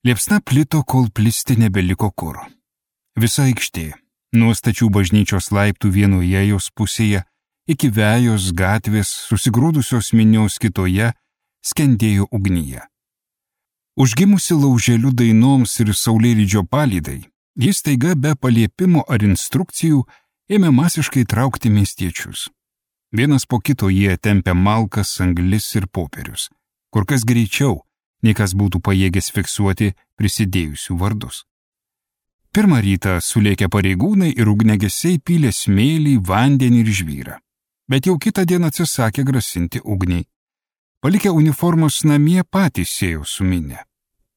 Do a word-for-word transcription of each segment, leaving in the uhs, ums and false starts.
Liepsna plito, kol plisti nebeliko kur. Visa aikštė, nuo stačių bažnyčios laiptų vienoje jos pusėje iki Vejos gatvės susigrūdusios minios kitoje, skendėjo ugnyje. Užgimusi lauželių dainoms ir saulėlydžio palydai, jis taiga be paliepimo ar instrukcijų ėmė masiškai traukti miestiečius. Vienas po kito jie tempė malkas, anglis ir popierius, kur kas greičiau, nei kas būtų pajėgęs fiksuoti prisidėjusių vardus. Pirmą rytą sulėkę pareigūnai ir ugnegesiai pylė smėlį, vandenį ir žvyrą, bet jau kitą dieną atsisakė grasinti ugniai. Palikę uniformos namie patys sėjo su minia.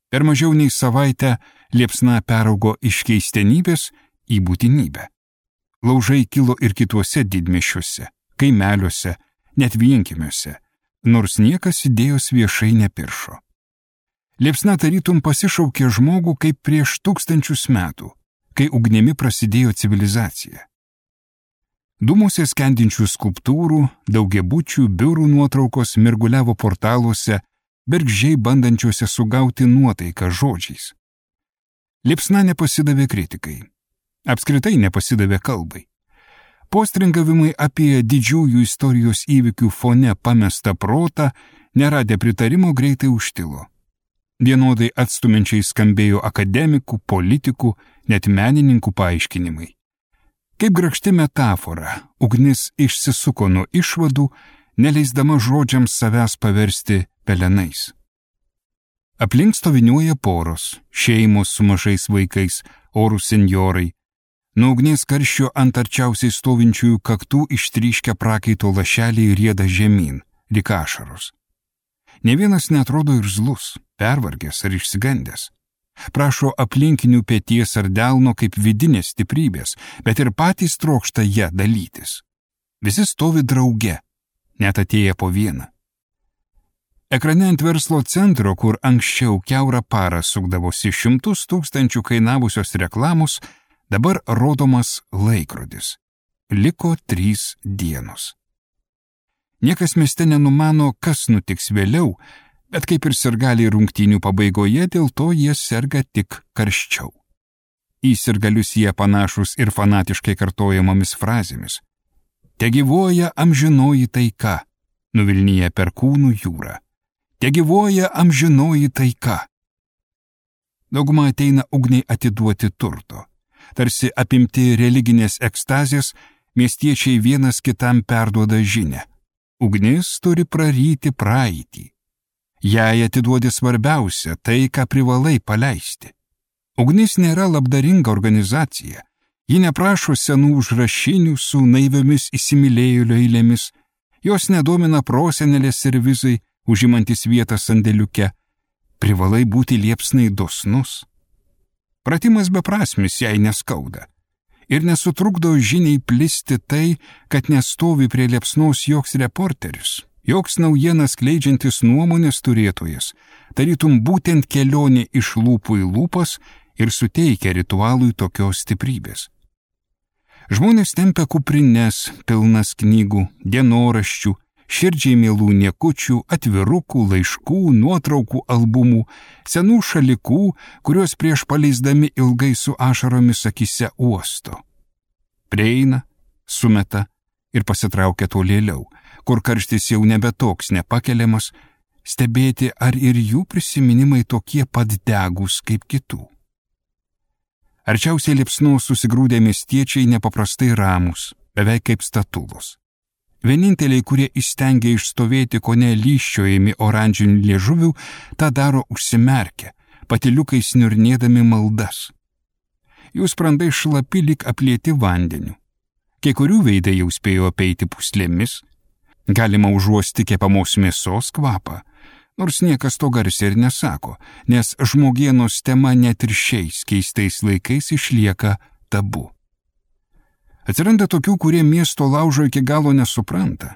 Per mažiau nei savaitę liepsna peraugo iš keistenybės į būtinybę. Laužai kilo ir kituose didmiesčiuose, kaimeliuose, net vienkiemiuose, nors niekas idėjos viešai nepiršo. Liepsna tarytum pasišaukė žmogų kaip prieš tūkstančius metų, kai ugnimi prasidėjo civilizacija. Dūmuose skendinčių skulptūrų, daugiabučių, biurų nuotraukos mirguliavo portaluose, bergždžiai bandančiuose sugauti nuotaiką žodžiais. Liepsna nepasidavė kritikai. Apskritai nepasidavė kalbai. Postringavimai apie didžiųjų istorijos įvykių fone pamestą protą, neradę pritarimo, greitai užtilo. Vienodai atstumiančiai skambėjo akademikų, politikų, net menininkų paaiškinimai. Kaip grakšti metafora, ugnis išsisuko nuo išvadų, neleisdama žodžiams savęs paversti pelenais. Aplink stoviniuoja poros, šeimos su mažais vaikais, orūs senjorai. Nuo ugnies karščio ant arčiausiai stovinčiųjų kaktų ištryškę prakaito lašeliai rieda žemyn, lyg ašaros. Ne vienas netrodo irzlus, pervargęs ar išsigandęs. Prašo aplinkinių peties ar delno kaip vidinės stiprybės, bet ir patys trokšta ją dalytis. Visi stovi drauge, net atėję po vieną. Ekrane ant verslo centro, kur anksčiau kiaurą parą sukdavosi šimtus tūkstančių kainavusios reklamos, dabar rodomas laikrodis. Liko trys dienos. Niekas mieste nenumano, kas nutiks vėliau, bet kaip ir sirgaliai rungtynių pabaigoje, dėl to jie serga tik karščiau. Į sirgalius jie panašus ir fanatiškai kartojamomis frazėmis. Te gyvuoja amžinoji taika, nuvilnyja perkūnų jūrą. Te gyvuoja amžinoji taika. Dauguma ateina ugniai atiduoti turto. Tarsi apimti religinės ekstazės, miestiečiai vienas kitam perduoda žinią. Ugnis turi praryti praeitį. Jai atiduodi svarbiausia tai, ką privalai paleisti. Ugnis nėra labdaringa organizacija. Ji neprašo senų užrašinių su naiviomis įsimylėjėlio eilėmis. Jos nedomina prosenelės servizai, užimantis vietą sandėliuke. Privalai būti liepsnai dosnus. Pratimas beprasmis jai neskauda. Ir nesutrukdo žiniai plisti tai, kad nestovi prie liepsnos joks reporteris, joks naujienas skleidžiantis nuomonės turėtojas, tarytum būtent kelionė iš lūpų į lūpas ir suteikia ritualui tokios stiprybės. Žmonės tempia kuprines, pilnas knygų, dienoraščių, širdžiai mielų niekučių, atvirukų, laiškų, nuotraukų albumų, senų šalikų, kuriuos prieš paleisdami ilgai su ašaromis akise uosto. Prieina, sumeta ir pasitraukia tolėliau, kur karštis jau nebe toks nepakeliamas, stebėti, ar ir jų prisiminimai tokie pat degus kaip kitų. Arčiausiai liepsnos susigrūdę miestiečiai nepaprastai ramus, beveik kaip statulos. Vieninteliai, kurie įstengia išstovėti kone lyščiojami oranžinių liežuvių, tą daro užsimerkę, patyliukais niurnėdami maldas. Jų sprandai šlapi lyg aplieti vandeniu. Kai kurių veidai jau spėjo apeiti puslėmis. Galima užuosti kepamos mėsos kvapą, nors niekas to garsiai ir nesako, nes žmogienos tema net ir šiais keistais laikais išlieka tabu. Atsiranda tokių, kurie miesto laužo iki galo nesupranta.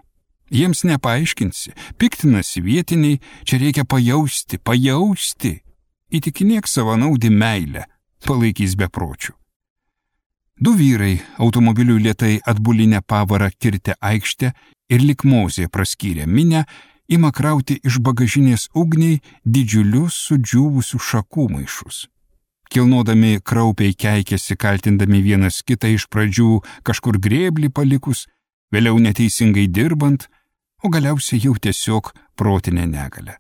Jiems nepaaiškinsi, piktinasi vietiniai, čia reikia pajausti, pajausti. Įtikinėk savanaudį meilę, palaikys bepročių. Du vyrai automobilių lėtai atbulinę pavarą kirtę aikštę ir lyg Mozė praskyrė minią, ima krauti iš bagažinės ugniai didžiulius sudžiūvusių šakų maišus. Kilnodami kraupiai keikėsi, kaltindami vienas kitą iš pradžių kažkur grėblį palikus, vėliau neteisingai dirbant, o galiausiai jau tiesiog protinę negalę.